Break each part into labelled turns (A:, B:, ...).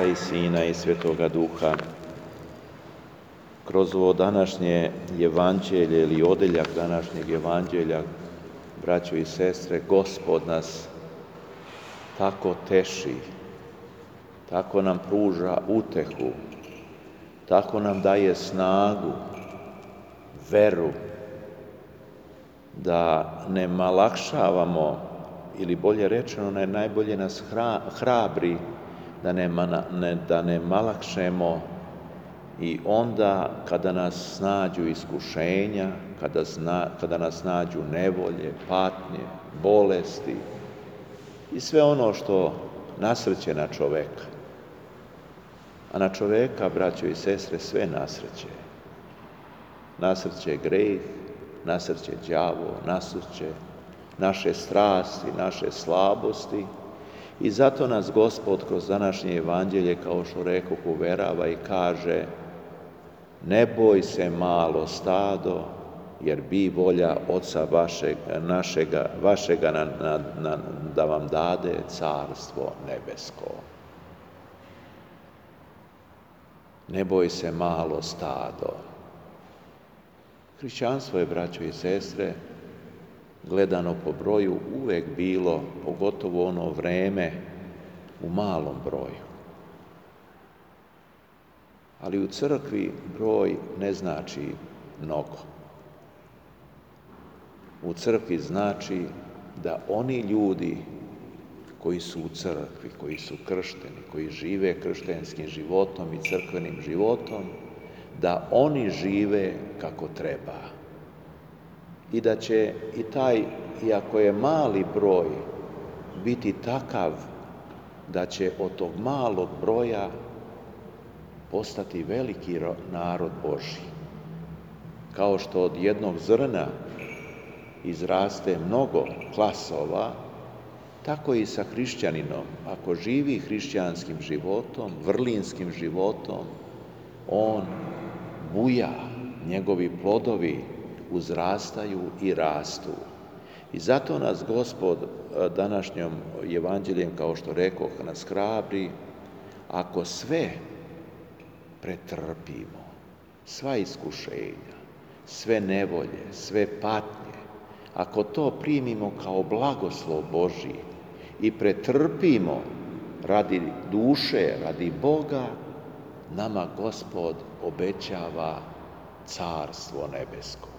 A: i Sina i Svetoga Duha. Kroz ovo današnje evanđelje ili odeljak današnjeg evanđelja, braćo i sestre, Gospod nas tako teši, tako nam pruža utehu, tako nam daje snagu, veru, da ne malakšavamo, ili bolje rečeno, najbolje nas hrabri da ne malakšemo i onda kada nas snađu iskušenja, kada nas nađu nevolje, patnje, bolesti i sve ono što nasrće na čoveka. A na čoveka, braćo i sestre, sve nasrće. Nasrće greh, nasrće đavo, nasrće naše strasti, naše slabosti i zato nas Gospod kroz današnje evanđelje, kao što rekoh, uverava i kaže: ne boj se, malo stado, jer bi volja Oca vašega da vam dade carstvo nebesko. Ne boj se, malo stado. Hrišćanstvo je, braćo i sestre, gledano po broju, uvek bilo, pogotovo ono vreme, u malom broju. Ali u crkvi broj ne znači mnogo. U crkvi znači da oni ljudi koji su u crkvi, koji su kršteni, koji žive kršćanskim životom i crkvenim životom, da oni žive kako treba. I da će i taj, iako je mali broj, biti takav da će od tog malog broja postati veliki narod Božji. Kao što od jednog zrna izraste mnogo klasova, tako i sa hrišćaninom. Ako živi hrišćanskim životom, vrlinskim životom, on buja, njegovi plodovi uzrastaju i rastu. I zato nas Gospod današnjom evanđeljem, kao što rekoh, nas hrabri, ako sve pretrpimo, sva iskušenja, sve nevolje, sve patnje, ako to primimo kao blagoslov Božji i pretrpimo radi duše, radi Boga, nama Gospod obećava carstvo nebesko.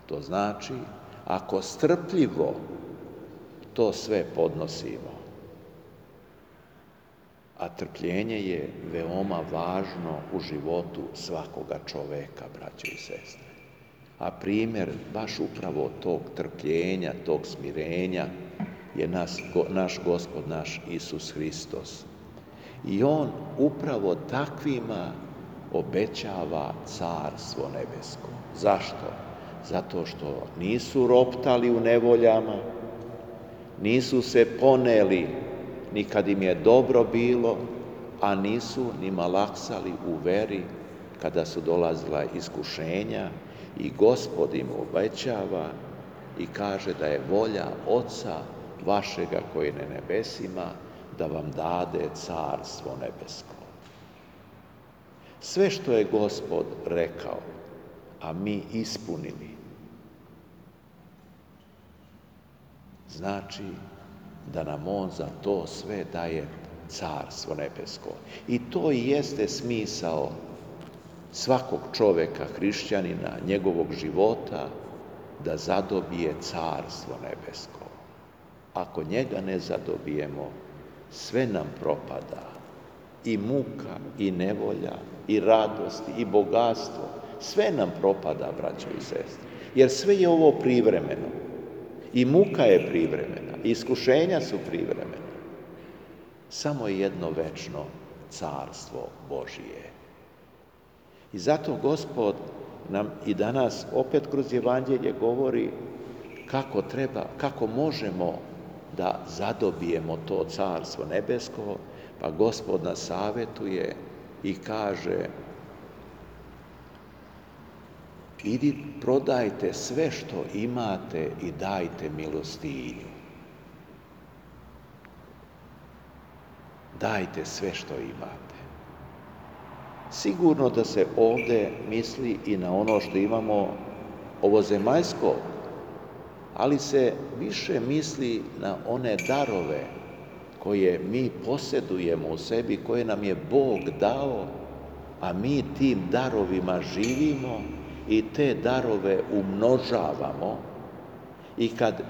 A: To znači, ako strpljivo to sve podnosimo, a trpljenje je veoma važno u životu svakoga čoveka, braćo i sestre. A primjer baš upravo tog trpljenja, tog smirenja je naš Gospod, naš Isus Hristos. I On upravo takvima obećava carstvo nebesko. Zašto? Zato što nisu roptali u nevoljama, nisu se poneli ni kad im je dobro bilo, a nisu ni malaksali u veri kada su dolazila iskušenja, i Gospod im obećava i kaže da je volja Oca vašega koji je na nebesima da vam dade carstvo nebesko. Sve što je Gospod rekao, a mi ispunili, znači da nam On za to sve daje carstvo nebesko. I to i jeste smisao svakog čoveka, hrišćanina, njegovog života, da zadobije carstvo nebesko. Ako njega ne zadobijemo, sve nam propada. I muka, i nevolja, i radost, i bogatstvo. Sve nam propada, braćo i sestre. Jer sve je ovo privremeno. I muka je privremena, i iskušenja su privremena. Samo je jedno večno carstvo Božije. I zato Gospod nam i danas opet kroz evanđelje govori kako možemo da zadobijemo to carstvo nebesko, pa Gospod nas savjetuje i kaže: prodajte sve što imate i dajte milostinju. Dajte sve što imate. Sigurno da se ovdje misli i na ono što imamo ovozemaljsko, ali se više misli na one darove koje mi posjedujemo u sebi, koje nam je Bog dao, a mi tim darovima živimo i te darove umnožavamo. I kad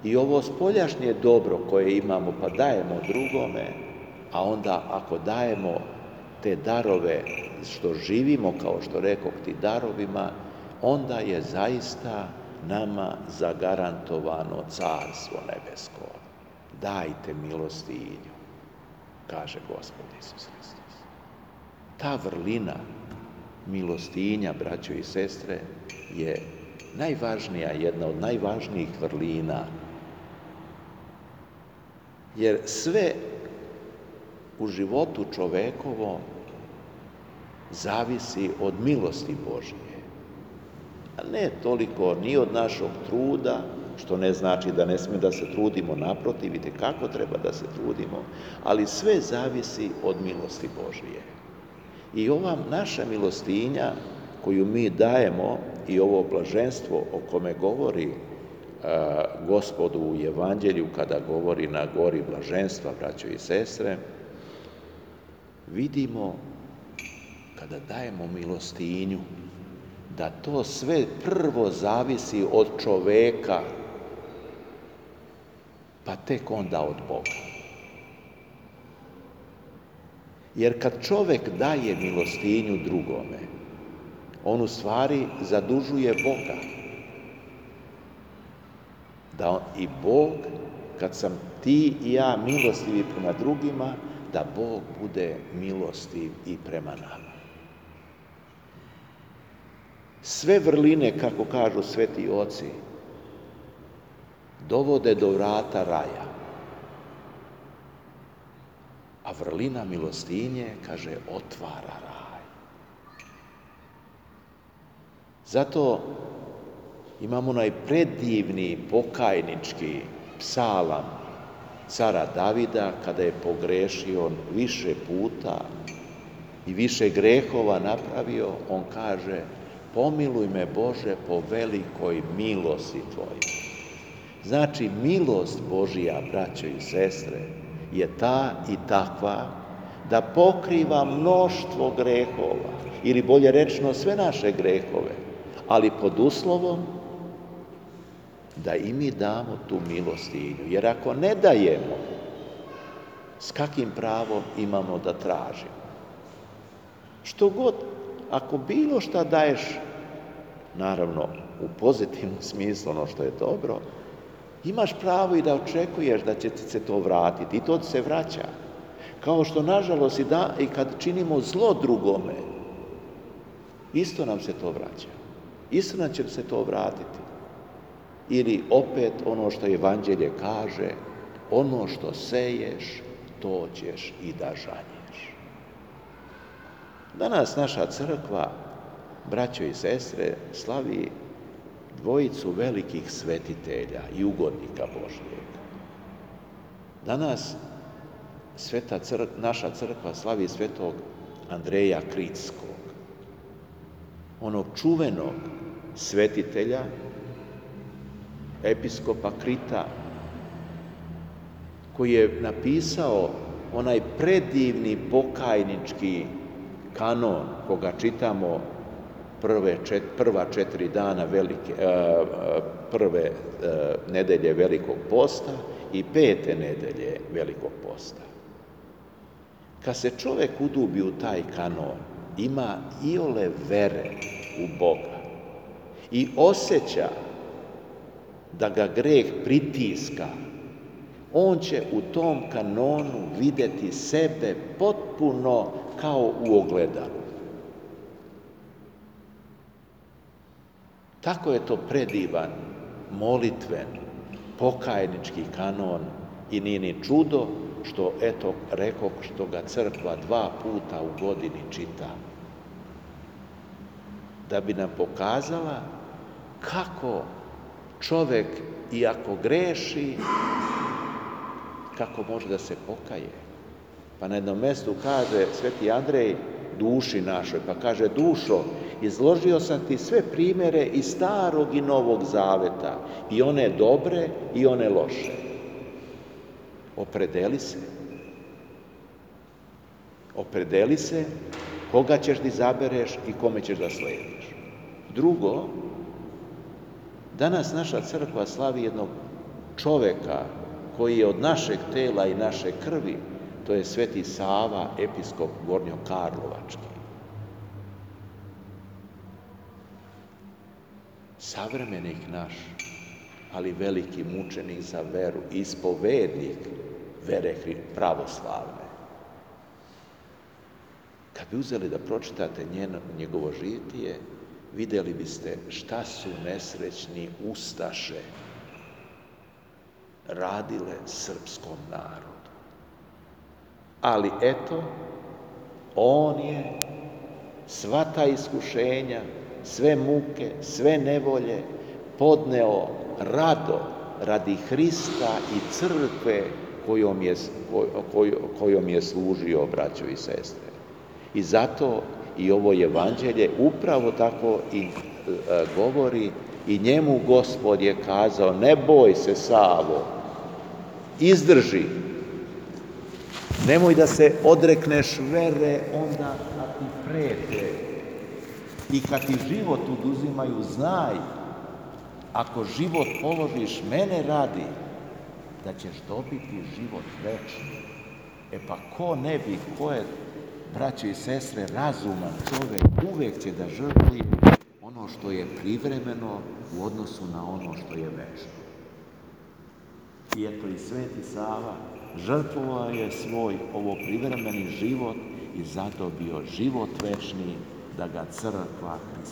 A: i ovo spoljašnje dobro koje imamo pa dajemo drugome, a onda ako dajemo te darove što živimo, kao što rekoh, ti darovima, onda je zaista nama zagarantovano Carstvo nebesko. Dajte milostinju, kaže Gospod Isus Hristos. Ta vrlina milostinja, braćo i sestre, je najvažnija, jedna od najvažnijih vrlina. Jer sve u životu čovekovom zavisi od milosti Božje. A ne toliko ni od našeg truda, što ne znači da ne smije da se trudimo, naprotiv, vidite kako treba da se trudimo, ali sve zavisi od milosti Božje. I ova naša milostinja koju mi dajemo i ovo blaženstvo o kome govori Gospod u Evanđelju kada govori na gori blaženstva, braćo i sestre, vidimo kada dajemo milostinju da to sve prvo zavisi od čoveka, pa tek onda od Boga. Jer kad čovek daje milostinju drugome, on u stvari zadužuje Boga. Da i Bog, kad sam ti i ja milostivi prema drugima, da Bog bude milostiv i prema nama. Sve vrline, kako kažu sveti oci, dovode do vrata raja. A vrlina milostinje, kaže, otvara raj. Zato imamo onaj predivni pokajnički psalam cara Davida, kada je pogrešio više puta i više grehova napravio, on kaže: pomiluj me, Bože, po velikoj milosti Tvojoj. Znači, milost Božija, braćo i sestre, je ta i takva da pokriva mnoštvo grehova, ili bolje rečeno sve naše grehove, ali pod uslovom da i mi damo tu milostinju. Jer ako ne dajemo, s kakvim pravom imamo da tražimo? Što god, ako bilo šta daješ, naravno u pozitivnom smislu, ono što je dobro, imaš pravo i da očekuješ da će ti se to vratiti, i to ti se vraća. Kao što, nažalost, i kad činimo zlo drugome, isto nam se to vraća. Isto nam će se to vratiti. Ili opet ono što Evanđelje kaže, ono što seješ, to ćeš i da žanješ. Danas naša crkva, braćo i sestre, slavi dvojicu velikih svetitelja i ugodnika Božjeg. Danas naša crkva slavi svetog Andreja Kritskog, onog čuvenog svetitelja, episkopa Krita, koji je napisao onaj predivni pokajnički kanon, koga čitamo prva 4 dana prve nedelje Velikog posta i 5. nedelje Velikog posta. Kad se čovek udubi u taj kanon, ima iole vere u Boga i osjeća da ga greh pritiska, on će u tom kanonu vidjeti sebe potpuno kao u ogledalu. Tako je to predivan, molitven, pokajnički kanon i nije ni čudo što, eto, rekoh, što ga crkva 2 puta u godini čita. Da bi nam pokazala kako čovek, iako greši, kako može da se pokaje. Pa na jednom mjestu kaže sveti Andrej, duši našoj, pa kaže: dušo, izložio sam ti sve primjere iz Starog i Novog Zaveta, i one dobre i one loše. Opredeli se. Opredeli se koga ćeš da izabereš i kome ćeš da slediš. Drugo, danas naša crkva slavi jednog čoveka koji je od našeg tela i naše krvi, to je Sveti Sava, episkop Gornjokarlovački. Savremenik naš, ali veliki mučenik za veru, ispovednik vere pravoslavne. Kad bi uzeli da pročitate njegovo žitije, vidjeli biste šta su nesrećni ustaše radile srpskom narodu. Ali eto, on je sva ta iskušenja, sve muke, sve nevolje podneo rado radi Hrista i crkve kojom je služio, braćo i sestre. I zato i ovo evanđelje upravo tako i govori, i njemu Gospod je kazao: ne boj se, Savo, izdrži, nemoj da se odrekneš vere onda kad ti prete i kad ti život oduzimaju. Znaj, ako život položiš mene radi, da ćeš dobiti život večni. Pa ko ne bi, ko je, braćo i sestre, razuman čovek, uvek će da žrtvuje ono što je privremeno u odnosu na ono što je večno. I eto, i Sveti Sava žrtvovao je svoj ovo privremeni život i zadobio život večni, da ga crkva